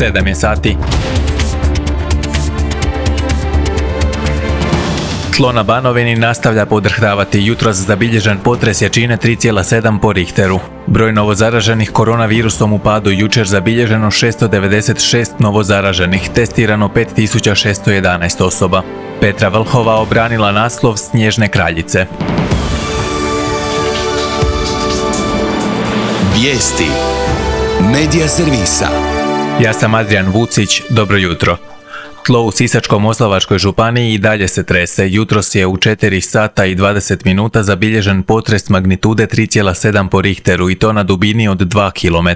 7 je sati. Tlo na Banovini nastavlja podrhtavati. Jutros zabilježen potres jačine 3,7 po Richteru. Broj novozaraženih koronavirusom u padu. Jučer zabilježeno 696 novozaraženih, testirano 5611 osoba. Petra Vlhova obranila naslov Snježne kraljice. Vijesti Medija servisa. Ja sam Adrian Vucić, dobro jutro. Tlo u Sisačko-moslavačkoj županiji i dalje se trese. Jutros je u 4 sata i 20 minuta zabilježen potres magnitude 3,7 po Richteru i to na dubini od 2 km.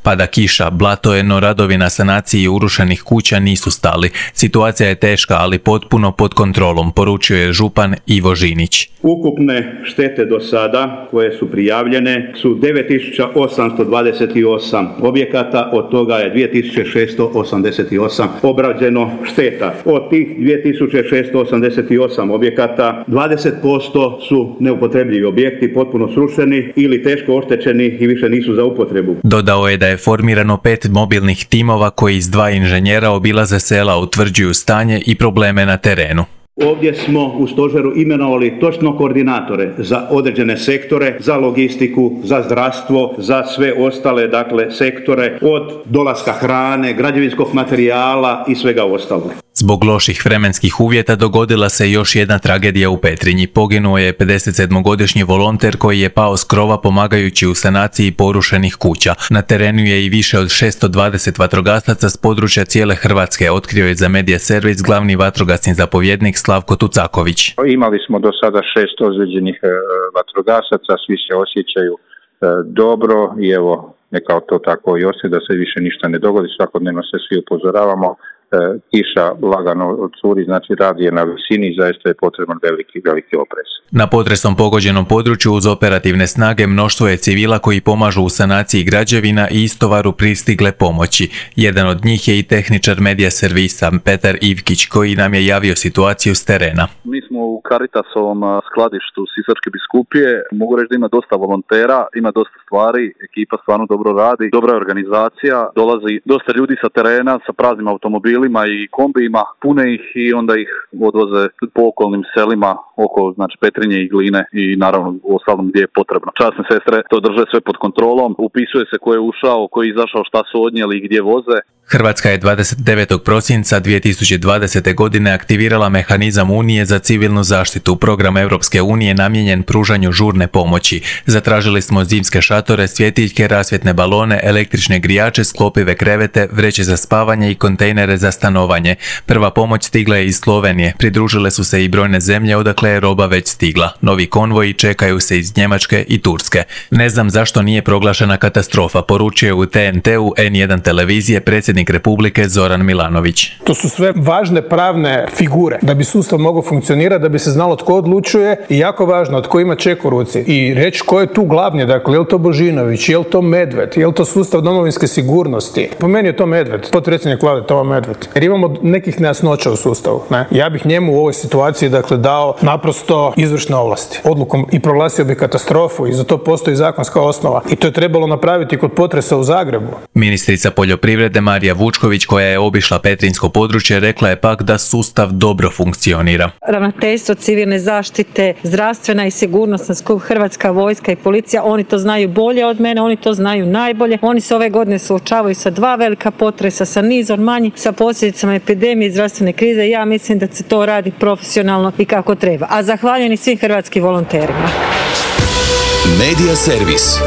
Pada kiša, blato je, no radovi na sanaciji urušenih kuća nisu stali. Situacija je teška, ali potpuno pod kontrolom, poručio je župan Ivo Žinić. Ukupne štete do sada koje su prijavljene su 9828 objekata, od toga je 2688 obrađeno šteta. Od tih 2688 objekata 20% su neupotrebljivi objekti, potpuno srušeni ili teško oštećeni i više nisu za upotrebu. Dodao je da je formirano 5 mobilnih timova koji iz 2 inženjera obilaze sela, utvrđuju stanje i probleme na terenu. Ovdje smo u stožeru imenovali točno koordinatore za određene sektore, za logistiku, za zdravstvo, za sve ostale sektore, od dolaska hrane, građevinskog materijala i svega ostalog. Zbog loših vremenskih uvjeta dogodila se još jedna tragedija u Petrinji. Poginuo je 57-godišnji volonter koji je pao s krova pomagajući u sanaciji porušenih kuća. Na terenu je i više od 620 vatrogasaca s područja cijele Hrvatske, otkrio je za Medija servis glavni vatrogasni zapovjednik Slavko Tucaković. Imali smo do sada 6 ozlijeđenih vatrogasaca, svi se osjećaju dobro i evo neka to tako i ostaje da se više ništa ne dogodi, svakodnevno se svi upozoravamo. Kiša lagano odsuri, znači rad je na visini i zaista je potreban veliki oprez. Na potresom pogođenom području uz operativne snage mnoštvo je civila koji pomažu u sanaciji građevina i istovaru pristigle pomoći. Jedan od njih je i tehničar Medija servisa Petar Ivkić koji nam je javio situaciju s terena. Mi smo u Caritasovom skladištu Sisačke biskupije. Mogu reći da ima dosta volontera, ima dosta stvari, ekipa stvarno dobro radi, dobra je organizacija, dolazi dosta ljudi sa terena sa praznim automobilima i kombijima, pune ih i onda ih odvoze po okolnim selima oko Petrinje i Gline i naravno u ostalom gdje je potrebno. Časne sestre to drže sve pod kontrolom, upisuje se ko je ušao, ko je izašao, šta su odnijeli i gdje voze. Hrvatska je 29. prosinca 2020. godine aktivirala mehanizam Unije za civilnu zaštitu, program Europske unije namijenjen pružanju žurne pomoći. Zatražili smo zimske šatore, svjetiljke, rasvjetne balone, električne grijače, sklopive krevete, vreće za spavanje i kontejnere za stanovanje. Prva pomoć stigla je iz Slovenije, pridružile su se i brojne zemlje odakle je roba već stigla. Novi konvoji čekaju se iz Njemačke i Turske. Ne znam zašto nije proglašena katastrofa, poručuje u TNT-u N1 televizije predsjednik Republike Zoran Milanović. To su sve važne pravne figure da bi sustav mogao funkcionirati, da bi se znalo tko odlučuje i jako važno tko ima ček u ruci i reći ko je tu glavni, dakle je li to Božinović, je li to Medved, je li to sustav domovinske sigurnosti. Po meni je to Medved, potpredsjednik vlade Tomo Medved. Jer imamo nekih nejasnoća u sustavu. Ja bih njemu u ovoj situaciji dao naprosto izvršne ovlasti. Odlukom i proglasio bi katastrofu i za to postoji zakonska osnova. I to je trebalo napraviti kod potresa u Zagrebu. Ministrica poljoprivrede Marija Vučković, koja je obišla petrinjsko područje, rekla je pak da sustav dobro funkcionira. Ravnateljstvo civilne zaštite, zdravstvena i sigurnosna skup, Hrvatska vojska i policija, oni to znaju bolje od mene, oni to znaju najbolje. Oni se ove godine suočavaju sa 2 velika potresa, sa nizom manjih, sa posljedicama epidemije i zdravstvene krize. Ja mislim da se to radi profesionalno i kako treba. A zahvaljujem i svim hrvatskim volonterima. Medija servis.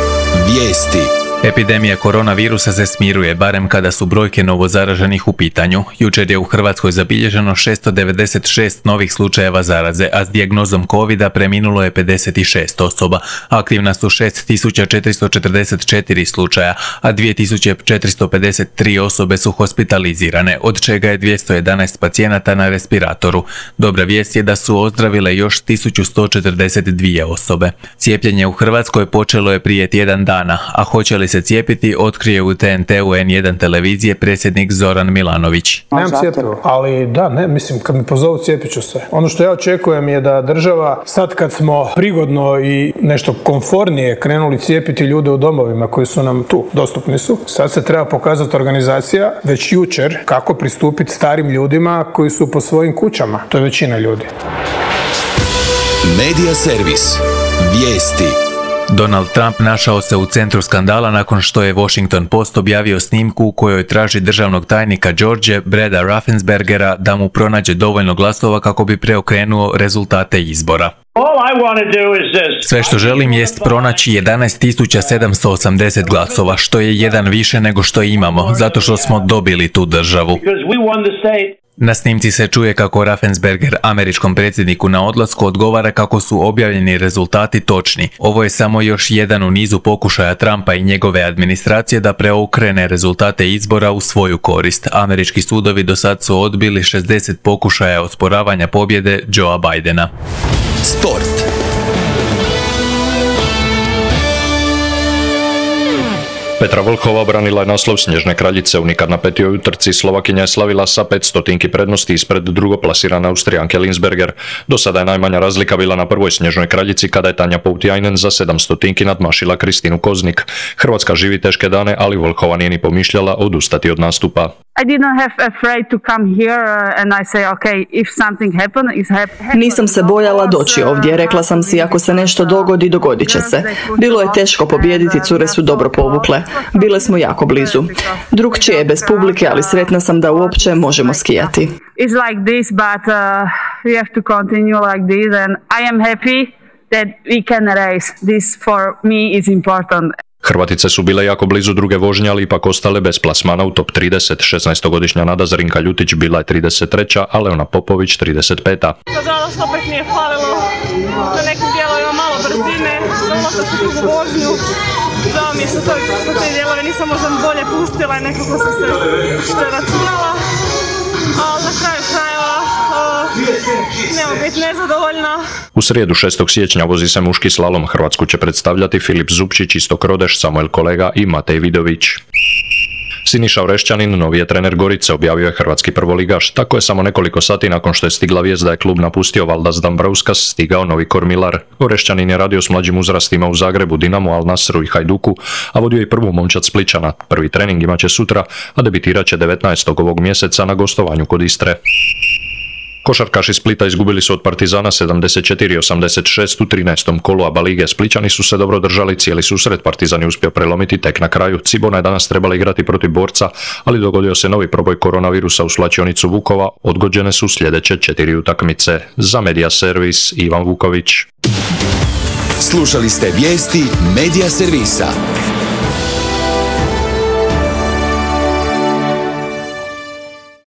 Vijesti. Epidemija koronavirusa se smiruje, barem kada su brojke novozaraženih u pitanju. Jučer je u Hrvatskoj zabilježeno 696 novih slučajeva zaraze, a s dijagnozom covida preminulo je 56 osoba. Aktivna su 6444 slučaja, a 2453 osobe su hospitalizirane, od čega je 211 pacijenata na respiratoru. Dobra vijest je da su ozdravile još 1142 osobe. Cijepljenje u Hrvatskoj počelo je prije tjedan dana, a hoće li se cijepiti, otkrije u TNT-u N1 televizije predsjednik Zoran Milanović. Nemam cjepivo, ali da, ne, mislim, kad mi pozovu cijepit ću se. Ono što ja očekujem je da država, sad kad smo prigodno i nešto komfornije krenuli cijepiti ljude u domovima koji su nam tu, dostupni su, sad se treba pokazati organizacija već jučer kako pristupiti starim ljudima koji su po svojim kućama. To je većina ljudi. Medija servis. Vijesti. Donald Trump našao se u centru skandala nakon što je Washington Post objavio snimku u kojoj traži državnog tajnika George Breda Raffenspergera da mu pronađe dovoljno glasova kako bi preokrenuo rezultate izbora. Sve što želim jest pronaći 11.780 glasova, što je jedan više nego što imamo, zato što smo dobili tu državu. Na snimci se čuje kako Raffensperger američkom predsjedniku na odlasku odgovara kako su objavljeni rezultati točni. Ovo je samo još jedan u nizu pokušaja Trumpa i njegove administracije da preokrene rezultate izbora u svoju korist. Američki sudovi do sad su odbili 60 pokušaja osporavanja pobjede Joea Bidena. Sport. Petra Vlhova branila je naslov Snježne kraljice. Unikad na petoj utrci Slovakinja je slavila sa 500 prednosti ispred drugoplasirane Austrijanke Linsberger. Do sada je najmanja razlika bila na prvoj Snježnoj kraljici kada je Tanja Poutiainen za 700 nadmašila Kristinu Koznik. Hrvatska živi teške dane, ali Vlhova nije ni pomišljala odustati od nastupa. Nisam se bojala doći ovdje, rekla sam si ako se nešto dogodi, dogodit će se. Bilo je teško pobijediti, cure su dobro povukle. Bile smo jako blizu. Drugčije je bez publike, ali sretna sam da uopće možemo skijati. Hrvatice su bile jako blizu druge vožnje, ali ipak ostale bez plasmana u top 30. 16-godišnja Nada Zrinka Ljutić bila je 33. a Leona Popović 35. Nažalost, opet mi je falilo na nekim dijelovima malo brzine, za ulazak u drugu vožnju. Žao mi je što te dijelove nisam možda bolje pustila i nekako sam se preračunala, ali na kraju krajeva nemam biti nezadovoljna. U srijedu 6. siječnja vozi se muški slalom. Hrvatsku će predstavljati Filip Zupčić, Istok Rodeš, Samuel Kolega i Matej Vidović. Siniša Orešćanin, novi je trener Gorice, objavio je hrvatski prvoligaš. Tako je samo nekoliko sati nakon što je stigla vijest da je klub napustio Valdas Dambrauskas stigao novi kormilar. Orešćanin je radio s mlađim uzrastima u Zagrebu, Dinamu, Al Nasru i Hajduku, a vodio i prvu momčad Splićana. Prvi trening imaće sutra, a debitirat će 19. ovog mjeseca na gostovanju kod Istre. Košarkaši Splita izgubili su od Partizana 74-86 u 13. kolu ABA lige. Splićani su se dobro držali cijeli susret, Partizan je uspio prelomiti tek na kraju. Cibona je danas trebala igrati protiv Borca, ali dogodio se novi proboj koronavirusa u slačionicu Vukova, odgođene su sljedeće 4 utakmice. Za Medija servis Ivan Vuković. Slušali ste vijesti Medija servisa.